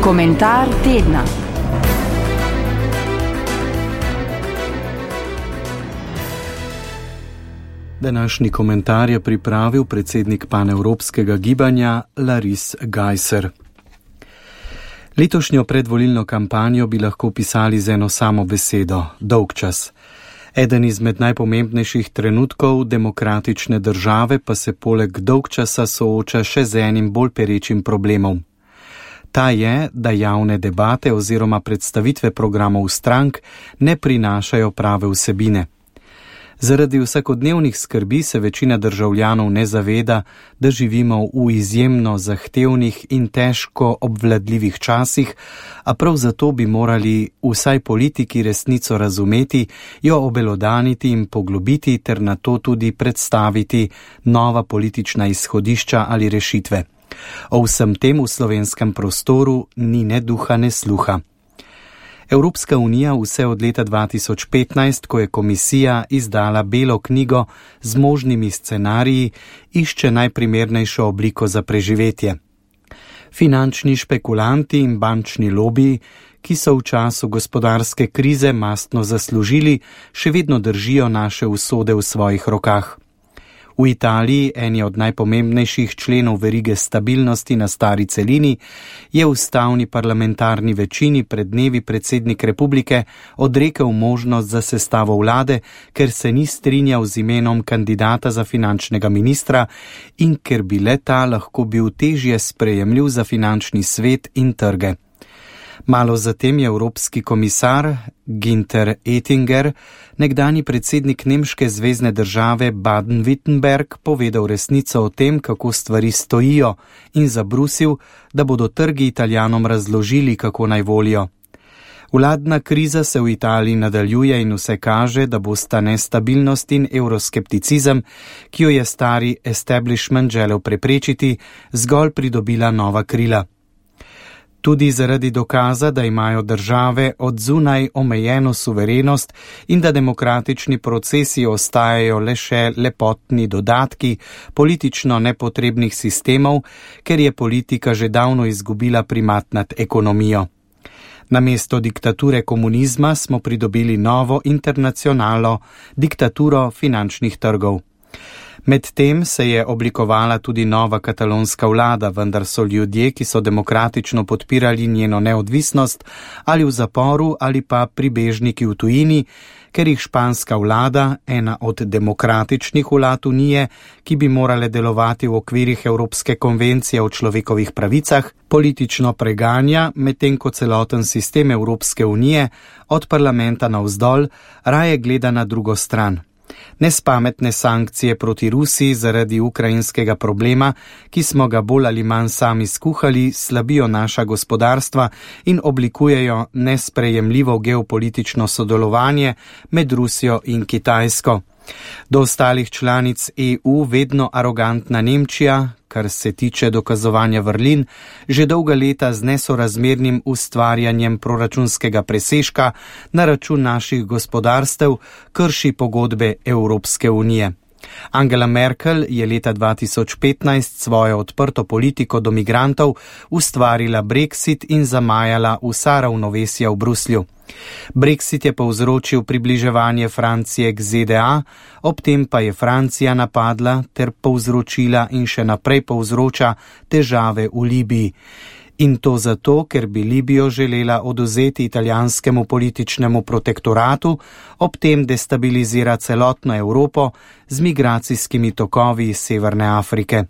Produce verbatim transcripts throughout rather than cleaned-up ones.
Komentar tedna. Današnji komentar je pripravil predsednik panevropskega gibanja Laris Gajser. Letošnjo predvolilno kampanjo bi lahko pisali z eno samo besedo – dolgčas. Eden izmed najpomembnejših trenutkov demokratične države pa se poleg dolgčasa sooča še z enim bolj perečim problemom. Ta je, da javne debate oziroma predstavitve programov strank ne prinašajo prave vsebine. Zaradi vsakodnevnih skrbi se večina državljanov ne zaveda, da živimo v izjemno zahtevnih in težko obvladljivih časih, a prav zato bi morali vsaj politiki resnico razumeti, jo obelodaniti in poglobiti ter na to tudi predstaviti nova politična izhodišča ali rešitve. O vsem tem v slovenskem prostoru ni ne duha ne sluha. Evropska unija vse od leta dva tisoč petnajst, ko je komisija izdala belo knjigo z možnimi scenariji, išče najprimernejšo obliko za preživetje. Finančni špekulanti in bančni lobiji, ki so v času gospodarske krize mastno zaslužili, še vedno držijo naše usode v svojih rokah. V Italiji, eni od najpomembnejših členov verige stabilnosti na stari celini, je ustavni parlamentarni večini pred dnevi predsednik republike odrekel možnost za sestavo vlade, ker se ni strinjal z imenom kandidata za finančnega ministra in ker bi le-ta lahko bil težje sprejemljiv za finančni svet in trge. Malo zatem je evropski komisar Günther Oettinger, nekdanji predsednik nemške zvezne države Baden-Württemberg, povedal resnico o tem, kako stvari stojijo, in zabrusil, da bodo trgi Italijanom razložili, kako naj volijo. Vladna kriza se v Italiji nadaljuje in vse kaže, da bosta nestabilnost in euroskepticizem, ki jo je stari establishment želel preprečiti, zgolj pridobila nova krila. Tudi zaradi dokaza, da imajo države od zunaj omejeno suverenost in da demokratični procesi ostajajo le še lepotni dodatki politično nepotrebnih sistemov, ker je politika že davno izgubila primat nad ekonomijo. Namesto diktature komunizma smo pridobili novo internacionalno diktaturo finančnih trgov. Medtem se je oblikovala tudi nova katalonska vlada, vendar so ljudje, ki so demokratično podpirali njeno neodvisnost, ali v zaporu ali pa pribežniki v tujini, ker jih španska vlada, ena od demokratičnih vlad Unije, ki bi morale delovati v okvirih Evropske konvencije o človekovih pravicah, politično preganja, medtem ko celoten sistem Evropske unije od parlamenta navzdol raje gleda na drugo stran. Nespametne sankcije proti Rusiji zaradi ukrajinskega problema, ki smo ga bolj ali manj sami skuhali, slabijo naša gospodarstva in oblikujejo nesprejemljivo geopolitično sodelovanje med Rusijo in Kitajsko. Do ostalih članic E U vedno arogantna Nemčija, kar se tiče dokazovanja vrlin, že dolga leta z nesorazmernim ustvarjanjem proračunskega presežka na račun naših gospodarstev krši pogodbe Evropske unije. Angela Merkel je leta dva tisoč petnajst svojo odprto politiko do migrantov ustvarila Brexit in zamajala vsa ravnovesja v Bruslju. Brexit je povzročil približevanje Francije k Z D A, ob tem pa je Francija napadla ter povzročila in še naprej povzroča težave v Libiji. In to zato, ker bi Libijo želela odvzeti italijanskemu političnemu protektoratu, ob tem destabilizira celotno Evropo z migracijskimi tokovi iz Severne Afrike.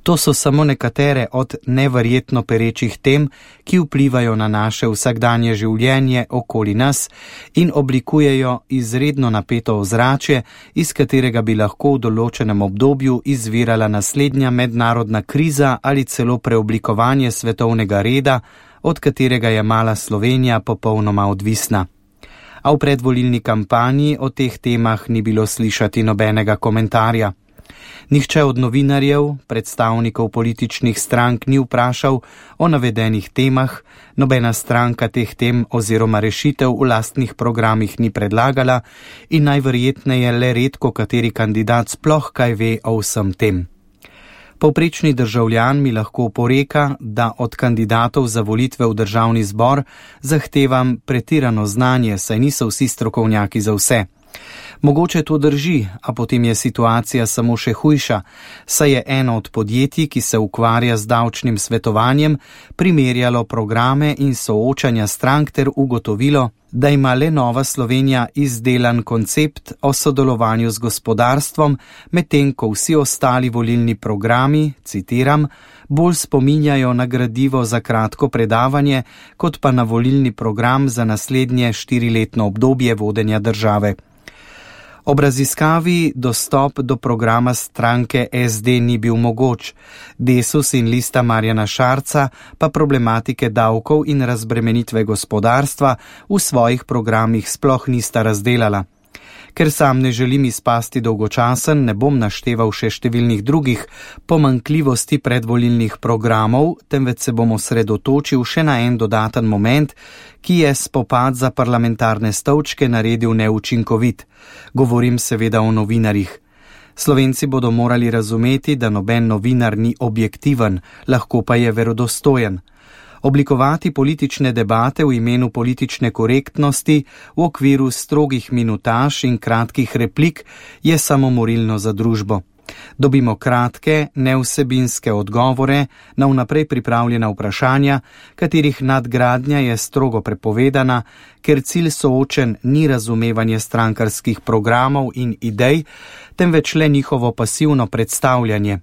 To so samo nekatere od neverjetno perečih tem, ki vplivajo na naše vsakdanje življenje okoli nas in oblikujejo izredno napeto ozračje, iz katerega bi lahko v določenem obdobju izvirala naslednja mednarodna kriza ali celo preoblikovanje svetovnega reda, od katerega je mala Slovenija popolnoma odvisna. A v predvolilni kampanji o teh temah ni bilo slišati nobenega komentarja. Nihče od novinarjev, predstavnikov političnih strank ni vprašal o navedenih temah, nobena stranka teh tem oziroma rešitev v lastnih programih ni predlagala in najverjetneje le redko kateri kandidat sploh kaj ve o vsem tem. Povprečni državljan mi lahko poreka, da od kandidatov za volitve v državni zbor zahtevam pretirano znanje, saj niso vsi strokovnjaki za vse. Mogoče to drži, a potem je situacija samo še hujša, saj je eno od podjetij, ki se ukvarja z davčnim svetovanjem, primerjalo programe in soočanja strank ter ugotovilo, da ima le Nova Slovenija izdelan koncept o sodelovanju z gospodarstvom, medtem ko vsi ostali volilni programi, citiram, bolj spominjajo na gradivo za kratko predavanje, kot pa na volilni program za naslednje štiriletno obdobje vodenja države. Ob raziskavi dostop do programa stranke S D ni bil mogoč, Desus in Lista Marjana Šarca pa problematike davkov in razbremenitve gospodarstva v svojih programih sploh nista razdelala. Ker sam ne želim izpasti dolgočasen, ne bom našteval še številnih drugih pomanjkljivosti predvolilnih programov, temveč se bom osredotočil še na en dodaten moment, ki je spopad za parlamentarne stolčke naredil neučinkovit. Govorim seveda o novinarjih. Slovenci bodo morali razumeti, da noben novinar ni objektiven, lahko pa je verodostojen. Oblikovati politične debate v imenu politične korektnosti v okviru strogih minutaž in kratkih replik je samomorilno za družbo. Dobimo kratke, nevsebinske odgovore na vnaprej pripravljena vprašanja, katerih nadgradnja je strogo prepovedana, ker cilj soočen ni razumevanje strankarskih programov in idej, temveč le njihovo pasivno predstavljanje.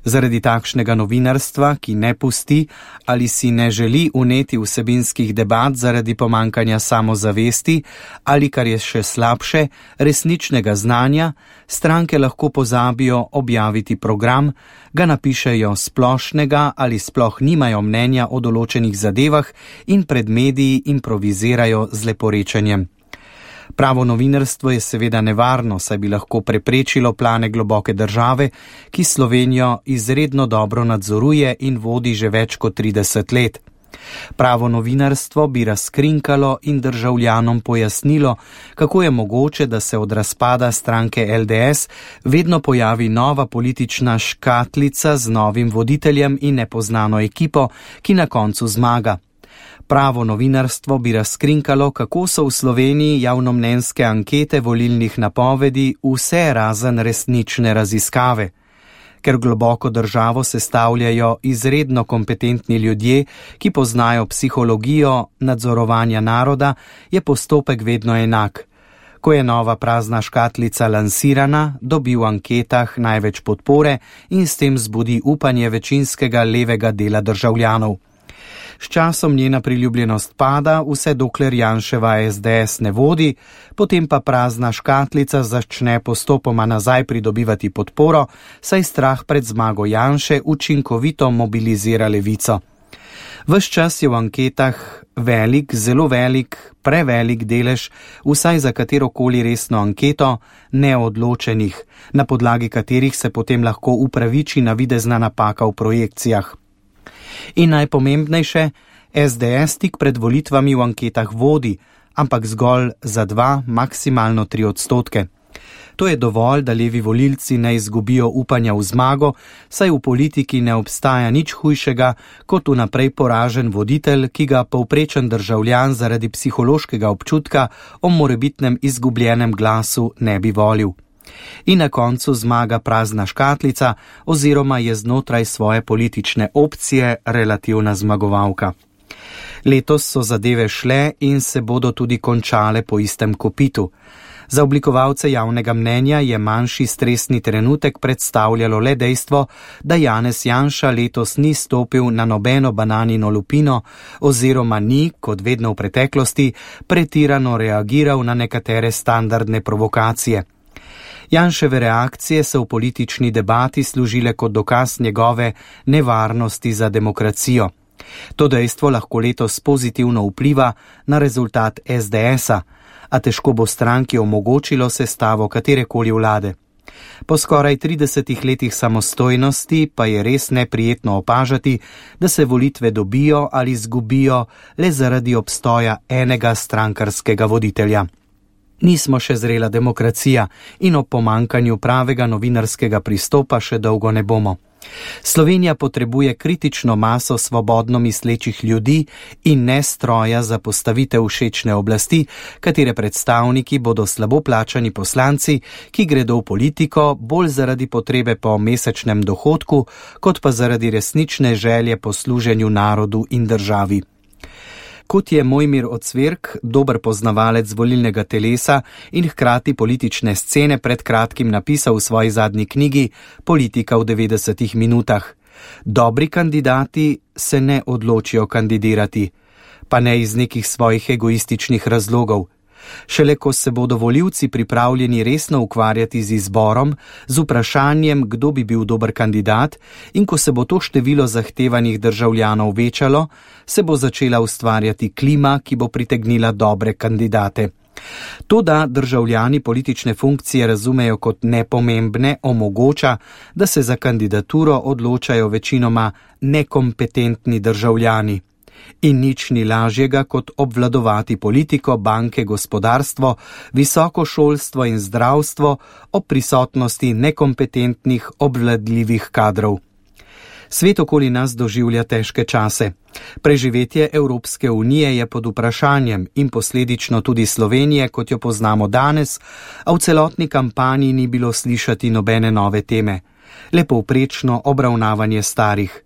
Zaradi takšnega novinarstva, ki ne pusti ali si ne želi uneti vsebinskih debat zaradi pomankanja samozavesti ali, kar je še slabše, resničnega znanja, stranke lahko pozabijo objaviti program, ga napišejo splošnega ali sploh nimajo mnenja o določenih zadevah in pred mediji improvizirajo z leporečenjem. Pravo novinarstvo je seveda nevarno, saj bi lahko preprečilo plane globoke države, ki Slovenijo izredno dobro nadzoruje in vodi že več kot trideset let. Pravo novinarstvo bi razkrinkalo in državljanom pojasnilo, kako je mogoče, da se od razpada stranke L D S vedno pojavi nova politična škatlica z novim voditeljem in nepoznano ekipo, ki na koncu zmaga. Pravo novinarstvo bi razkrinkalo, kako so v Sloveniji javnomnenjske ankete volilnih napovedi vse razen resnične raziskave. Ker globoko državo sestavljajo izredno kompetentni ljudje, ki poznajo psihologijo nadzorovanja naroda, je postopek vedno enak. Ko je nova prazna škatlica lansirana, dobi v anketah največ podpore in s tem zbudi upanje večinskega levega dela državljanov. S časom njena priljubljenost pada, vse dokler Janševa S D S ne vodi, potem pa prazna škatlica začne postopoma nazaj pridobivati podporo, saj strah pred zmago Janše učinkovito mobilizira levico. Ves čas je v anketah velik, zelo velik, prevelik delež, vsaj za katerokoli resno anketo, neodločenih, na podlagi katerih se potem lahko upraviči navidezna napaka v projekcijah. In najpomembnejše, S D S tik pred volitvami v anketah vodi, ampak zgolj za dva, maksimalno tri odstotke. To je dovolj, da levi volilci ne izgubijo upanja v zmago, saj v politiki ne obstaja nič hujšega kot vnaprej poražen voditelj, ki ga povprečen državljan zaradi psihološkega občutka o morebitnem izgubljenem glasu ne bi volil. In na koncu zmaga prazna škatlica oziroma je znotraj svoje politične opcije relativna zmagovalka. Letos so zadeve šle in se bodo tudi končale po istem kopitu. Za oblikovalce javnega mnenja je manjši stresni trenutek predstavljalo le dejstvo, da Janez Janša letos ni stopil na nobeno bananino lupino oziroma ni, kot vedno v preteklosti, pretirano reagiral na nekatere standardne provokacije. Janševe reakcije so v politični debati služile kot dokaz njegove nevarnosti za demokracijo. To dejstvo lahko letos pozitivno vpliva na rezultat S D S-a, a težko bo stranki omogočilo sestavo katerekoli vlade. Po skoraj tridesetih letih samostojnosti pa je res neprijetno opažati, da se volitve dobijo ali izgubijo le zaradi obstoja enega strankarskega voditelja. Nismo še zrela demokracija in o pomankanju pravega novinarskega pristopa še dolgo ne bomo. Slovenija potrebuje kritično maso svobodno mislečih ljudi in ne stroja za postavitev všečne oblasti, katere predstavniki bodo slabo plačani poslanci, ki gredo v politiko bolj zaradi potrebe po mesečnem dohodku, kot pa zaradi resnične želje po služenju narodu in državi. Kot je Mojmir Ocvirk, dober poznavalec volilnega telesa in hkrati politične scene, pred kratkim napisal v svoji zadnji knjigi Politika v devetdesetih minutah. Dobri kandidati se ne odločijo kandidirati, pa ne iz nekih svojih egoističnih razlogov. Šele ko se bodo volivci pripravljeni resno ukvarjati z izborom, z vprašanjem, kdo bi bil dober kandidat, in ko se bo to število zahtevanih državljanov večalo, se bo začela ustvarjati klima, ki bo pritegnila dobre kandidate. To, da državljani politične funkcije razumejo kot nepomembne, omogoča, da se za kandidaturo odločajo večinoma nekompetentni državljani. In nič ni lažjega, kot obvladovati politiko, banke, gospodarstvo, visoko šolstvo in zdravstvo ob prisotnosti nekompetentnih, obvladljivih kadrov. Svet okoli nas doživlja težke čase. Preživetje Evropske unije je pod vprašanjem in posledično tudi Slovenije, kot jo poznamo danes, a v celotni kampanji ni bilo slišati nobene nove teme. Le povprečno obravnavanje starih.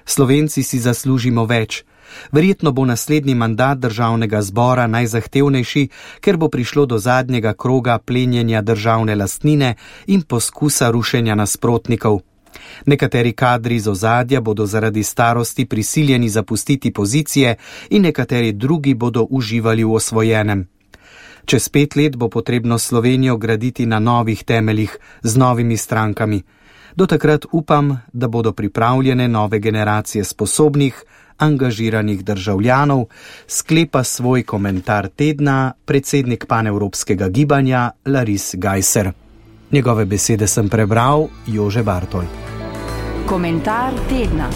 Slovenci si zaslužimo več. Verjetno bo naslednji mandat državnega zbora najzahtevnejši, ker bo prišlo do zadnjega kroga plenjenja državne lastnine in poskusa rušenja nasprotnikov. Nekateri kadri z ozadja bodo zaradi starosti prisiljeni zapustiti pozicije in nekateri drugi bodo uživali v osvojenem. Čez pet let bo potrebno Slovenijo graditi na novih temeljih z novimi strankami. Do takrat upam, da bodo pripravljene nove generacije sposobnih, angažiranih državljanov, sklepa svoj komentar tedna predsednik panevropskega gibanja Laris Gajser. Njegove besede sem prebral Jože Bartol. Komentar tedna.